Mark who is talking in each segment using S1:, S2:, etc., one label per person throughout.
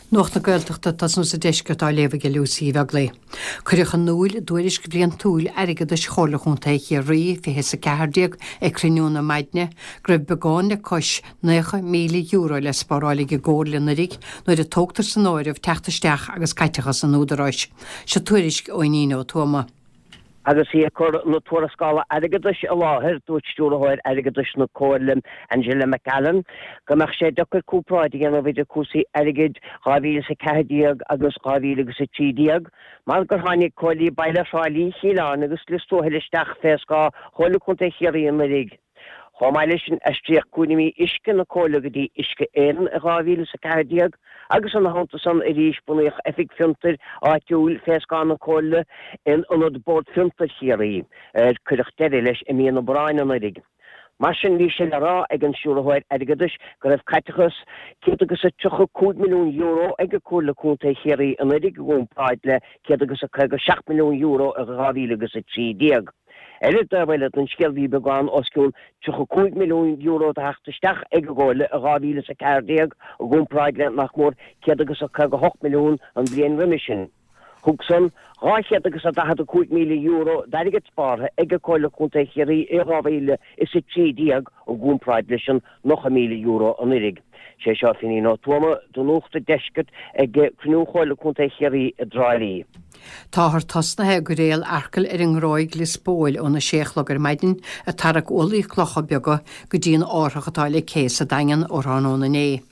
S1: Nuacht na Gaeltachta ag tosnú sa deisceart á léamh ag Lucy Uí Bheaglaoi. Cuireadh in iúl i dtuairisc bhliantúil airgeadais Chomhairle Chontae Chiarraí 20 is 14 ag cruinniú na maidne go raibh beagán le cois €90,000 le spáráil ag an gComhairle anuiridh nuair a tógtar san áireamh teacht isteach agus caiteachas an Údaráis. Seo tuairisc ó Fhínín Ó Tuama.
S2: Agus í ag cur na tuarascála airgeadais i láthair, dúirt Stiúrthóir Airgeadais na Comhairle, Angela McAllen, go mbeadh sé deacair comparáid a dhéanamh idir cúrsaí airgid 2014 agus 2013 mar gur tháinig Comhairlí Baile Thrá Lí, Chill Airne agus Lios Tuathail isteach fé scáth Chomhairle Contae Chiarraí anuiridh. Chomh maith leis sin, aistríodh cúraimí uisce na Comhairle go dtí Uisce Éireann i 2014 agus ina theannta san arís bunaíodh Oifig Fiontair Áitiúil fé scáth na Comhairle in ionad Bord Fiontair Chiarraí, ar cuireadh deireadh leis i mí an Aibreáin anuiridh. Mar sin, bhí sé le rá ag an Stiúrthóir Airgeadais go raibh caiteachas €135 milliún ag Comhairle Contae Chiarraí anuiridh i gcomparáid le €157 milliún i 2013. Ar an dtaobh eile den scéal bhí beagán os cionn €35 milliún de theacht isteach ag an gComhairle i 2014 i gcomparáid le nach mór €158 milliún an bhliain roimhe sin. Thug san €245,000 d'airgead spártha ag Comhairle Contae Chiarraí i 2013 i gcomparáid leis an €90,000 anuiridh. Sé seo Finín Ó Tuama do Nuacht an Deiscirt ag cruinniú Chomhairle Contae Chiarraí i dTrá Lí.
S1: Táthar tosnaithe ag gairéal Acaill ar an nGráig Lios Póil óna sé a chlog ar maidin ag tarrac ualaí clocha beaga go dtí an árthach atá le cé sa Daingean ó thráthnóna inné.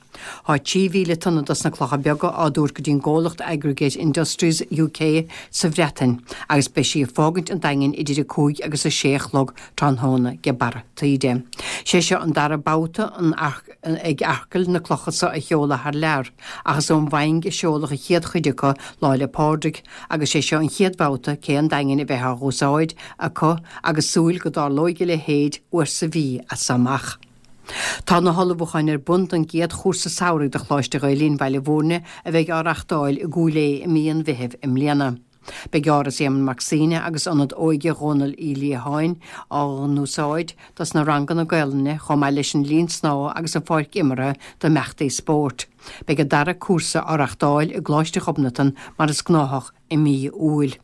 S1: Tá 3,000 tonna dos na clocha beaga á dtabhairt go dtí an gcomhlacht Aggregate Industries UK sa Bhreatain agus beidh sí ag fágaint an Daingin idir 5 agus 6 a chlog tráthnóna de barra taoide. Sé seo an dara babhta ag Acaill na clocha so a sheoladh thar lear ach is ón bhFaing a seoladh an chéad chuid acu Lá 'le Pádraig agus sé seo an chéad bhabhta cé an Daingin a bheith á dh'úsáid acu agus súil go dtarlóidh a leithéid uair sa mhí as so amach. Tá na hullmhúcháin ar bun don gcéad chúrsa samhraidh do Choláiste Ghael Linn Bhaile Bhúirne a bheidh á reachtáil i gCúil Aodha i mí an Mheithimh i mbliana. Beidh Áras Éamonn Mac Suibhne agus Ionad Óige Dhónaill Uí Liatháin á n-úsáid dos na ranganna Gaelainne chomh maith leis an linn snámha agus an pháirc imeartha d'imeachtaí spóirt. Beidh an dara cúrsa á reachtáil i gColáiste Ghobnatan mar is gnáthach i mí Iúil.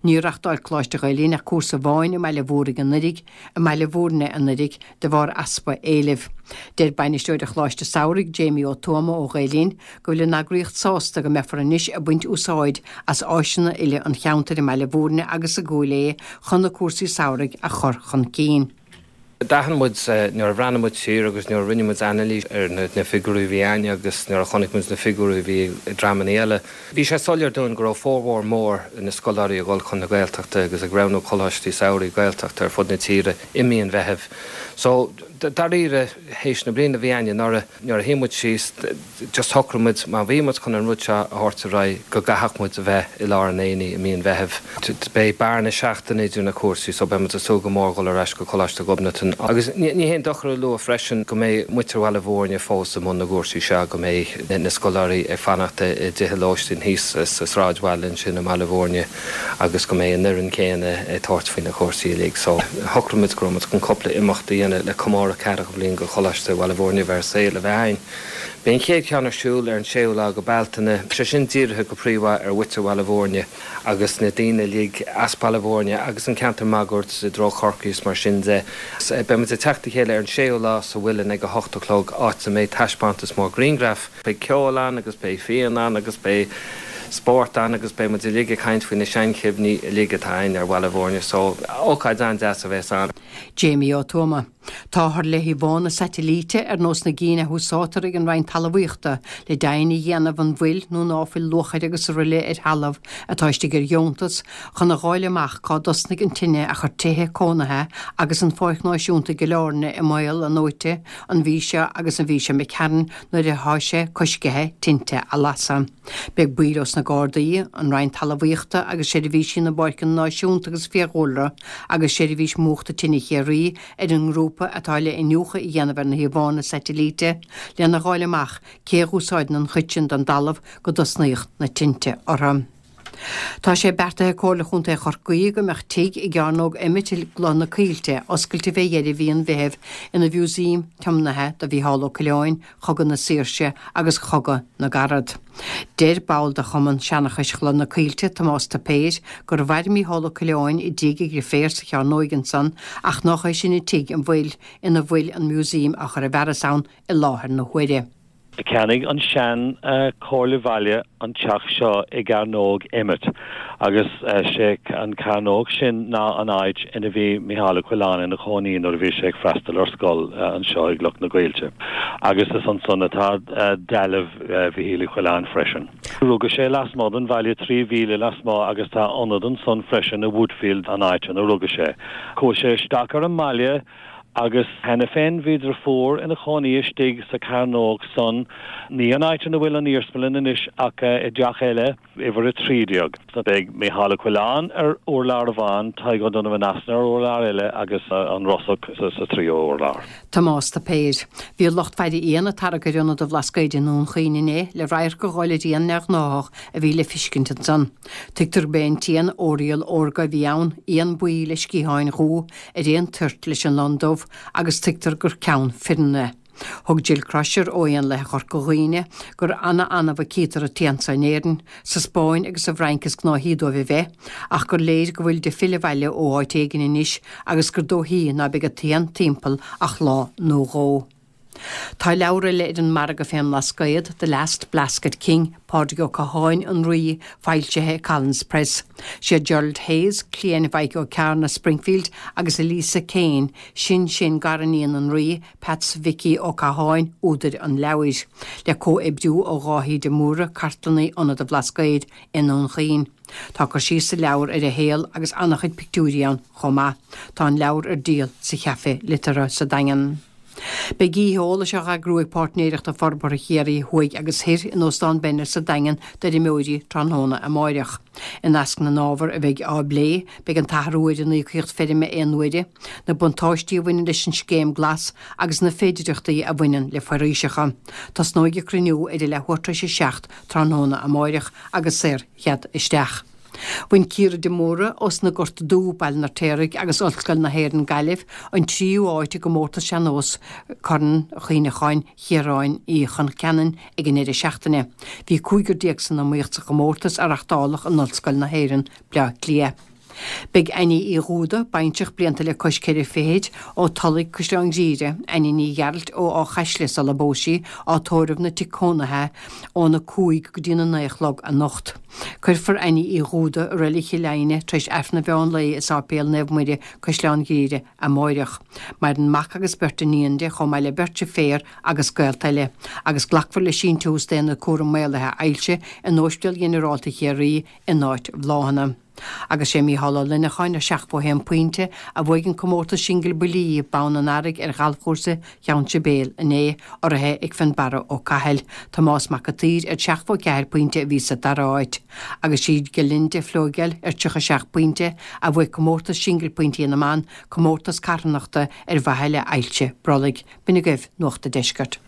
S1: Níor reachtáil Coláiste Ghael Linn ach cúrsa amháin i mBaile Mhúirne anuiridh, i mBaile Mhúirne anuiridh, de bharr easpa éilimh. Deir Bainisteoir an Choláiste Samhraidh, Jamie Ó Tuama ó Ghael Linn, go bhfuil an eagraíocht sásta go mbeifear anois ag baint úsáid as áiseanna uile an cheantair i mBaile Mhúirne agus i gCúil Aodha chun na cúrsaí samhraidh a chur chun cinn.
S3: D'aithin muid, nuair a bhreathnaigh muid siar agus nuair a rinne muid anailís ar na figiúirí a bhí a'ainne agus nuair a chonaic muid na figiúirí a bhí ag dreamanna eile, bhí sé soiléir dúinn go raibh formhór mór na scoláirí ag dul chun na Gaeltachta agus ag roghnú coláistí samhraidh Gaeltachta ar fud na tíre i mí an Mheithimh. So, dáiríre, théis na bliana a bhí a'ainne anuraidh, nuair a shuigh muid síos, just shocraigh muid, má bhí muid chun an rud seo a thabhairt ar aghaidh, go gcaithfeadh muid a bheith i lár an aonaigh i mí an Mheithimh. Beidh bearna seachtaine idir na cúrsaí so beidh muid ag súil go mór dhul ar ais go Coláiste Ghobnatan. Agus ní haon dochar a lua freisin go mbeidh muintir Bhaile Bhúirne fós i mbun na gcúrsaí seo, go mbeidh na scoláirí ag fanacht i dtithe lóistín thíos sa sráidbhaile ansin i mBaile Bhúirne agus go mbeidh an fhoireann chéanna ag tabhairt faoi na cúrsaí uilig. So shocraigh muid go raibh muid chun cúpla imeacht a dhéanamh le comóradh ceathracha bliain go Choláiste Bhaile Bhúirne a bheith ar saol a bheith a'ainn. Beidh an chéad cheann ar siúl ar an séú lá go Bealtaine, sé sin dírithe go príomha ar mhuintir Bhaile Bhúirne agus na daoine uilig as Baile Bhúirne agus an ceantar máguaird i dtreo Chorcaí is mar sin de. Beidh muid ag teacht le chéile ar an séú lá sa Mhuileann ag 8 a chlog áit a mbeidh taispeántas mór grianghraf. Beidh ceol ann agus beidh fíon ann agus beidh spórt ann agus beidh muid uilig ag caint faoi na seanchuimhní uilig atá a'ainn ar Bhaile Bhúirne so ócáid an-deas a bheas ann.
S1: Jamie Ó Tuama. Táthar le híomhánna saitilíte ar nós na gcinn a húsáidtear ag an Roinn Talmhaíochta le deimhin a dhéanamh an bhfuil nó ná fuil luachair agus araile ar thalamh atá istigh ar dheontas chun a dh'fháil amach cá dtosnaigh an tine a chuir tithe cónaithe agus an Pháirc Náisiúnta i gCill Airne i mbaol i ndóite an mhí seo agus an mhí seo imigh tharainn nuair atá sé coiscithe tinte a lasadh. Beidh baill ós na Gardaí, an Roinn Talmhaíochta agus Seirbhísí na bPáirceanna Náisiúnta agus Fiadhúlra agus Seirbhís Múchta Tine Chiarraí ar an ngrúpa atá le iniúchadh a dhéanamh ar na híomhánna saitilíte lena dh'fháil amach cé a dh'úsáideann an chuid sin den dtalamh go dtosnaíodh na tinte orthu. Tá sé beartaithe ag Comhairle Chontae Chorcaí go mbeadh tigh i gCearnóg Emmet i gCloich na Coillte oscailte fé dheireadh mhí an Mheithimh ina mhúsaem tiomnaithe do Mhícheál Ó Coileáin, Chogadh na Saoirse agus Chogadh na gCarad. Deir ball de Chumann Seanchais Chloich na Coillte, Tomás Tuipéir, gur mhair Mícheál Ó Coileáin i dtigh a dhriféar sa chearnóig ansan ach nách é sin an tigh an bhfuil ina bhfuil an músaem á chur i bhfearas ann i láthair na huaire.
S4: Cheannaigh an sean Chomhairle Bhaile an teach seo i gCearnóg Emmet agus sé an cearnóg sin ná an áit ina bhí Mícheál Ó Coileáin ina chónaí nuair a bhí sé ag freastal ar scoil anseo i gCloich na gCoillte agus is ansan atá dealbh Mhichíl Uí Choileáin freisin. Rugadh sé lasmuigh den bhaile, 3 mhíle lasmuigh agus tá ionad ansan freisin i Woodfield an áit ina rugadh sé. Chuaigh sé isteach ar an mbaile Agus cheana féin bhí driofúr ina chónaí istigh sa chearnóg san, ní an áit ina bhfuil an iarsmalann anois ach i dteach eile, uimhir 13. Beidh Mícheál Ó Coileáin ar urlár amháin, Tadhg O'Donovan Easmainn ar urlár eile agus an Rossach sa tríú hurlár.
S1: Tomás Tuipéir. Bhí lucht faire éan ag tarrac ar Ionad an Bhlascaoid i nDún Chaoin inné le radharc a dh'fháil ar éan neamhghnáthach a bhí le fiscint ansan. Tuigtear gurb é an t-éan Oriole órga a bhí ann, éan buí le sciatháin dhubha ar aon toirt leis an lon dubh agus tuigtear gur ceann fireann é. Thug Jill Crosher ó Éanlaithe Chorca Dhuibhne gur ana-annamh a cítear an t-éan so in Éirinn, sa Spáinn agus sa bhFrainc is gnáthaí dóibh a bheith, ach gur léir go bhfuil ag filleadh abhaile ó áit éigin anois agus gur dóichí ná beidh an t-éan timpeall ach lá nó dhó. Tá leabhar eile ar an margadh fén mBlascaod, The Last Blasket King, Pádraig Ó Catháin, An Rí, foilsithe ag Collins Press. Siad Gerald Hayes, cliain Mhaidhc Ó Cearna, Springfield, agus Elisa Kane, sin-sin-gariníon an Rí, Peats Mhicí Ó Catháin, údair an leabhair. Le comhoibriú ó Dháithí de Mórdha, cartlannaí Ionad an Bhlascaoid i nDún Chaoin. Tá cur síos sa leabhar ar a shaol agus an-chuid pictiúirí ann chomh maith. Tá an leabhar ar díol sa Chaife Liteartha sa Daingean. Beidh oíche eolais á eagrú ag Páirtnéireachta Forbartha Chiarraí Thuaidh agus Thoir in Óstán Bennett sa Daingean d'fheirmeoirí tráthnóna amáireach. I measc na n-ábhar a bheidh á bplé, beidh an t-athrú ar an íocaíocht feirme aon uaire, na buntáistí a bhaineann leis an scéim glas agus na féidireachtaí a bhaineann le foraoiseacha. Tosnóidh an cruinniú ar a leathuair tar éis a 7 tráthnóna amáireach agus saor-chead isteach. Bhain Ciara de Mórdha ós na Gorta Dubh, Baile an Fheirtéaraigh agus Ollscoil na hÉireann Gaillimh an tríú háit i gcomórtas sean-nós Corn Chuimhneacháin Chiaráin Uí Choncheanainn ag an ndeireadh seachtaine. Bhí 15 san iomaíocht sa chomórtas a reachtáladh in Ollscoil na hÉireann, Bleá Cliath. Beidh Annie Uí Dhúda, baintreach blianta le cois ceithre fichid, ó Tulaigh, Caisleán Ghriaire, Annie Ní Ghearailt ó Áth Chaisle sula bpós sí, á tórramh ina tigh cónaithe óna 5 go dtína 9 a chlog anocht. Cuirfear Annie Uí Dhúda i Reilig Chill Aidhne tar éis Aifreann an mheán lae i Sáipéal Naomh Muire, Caisleán Ghriaire, amáireach. Maireann mac agus beirt iníon di, chomh maith le beirt deirféar agus gaolta eile, agus glacfar le síntiús d'Aonad Cúram Maolaithe Ailse in Óispidéal Ghinearálta Chiarraí in áit bhláthanna. Agus sé Mícheál Ó Luineacháin ar 71 pointe a bhuaigh an comórtas singil buillí, Bonn an Earraigh ar ghalfchúrsa Cheann Sibéal inné, urraithe ag Fionnbarra Ó Cathail. Tomás Mac an tSaoir ar 74 pointe a bhí sa dara háit. Agus sí Gerlinde Floegel ar 37 pointe a bhuaigh comórtas singil pointí na mban, comórtas carthanachta ar mhaithe le hailse brollaigh. B'in agaibh Nuacht an Deiscirt.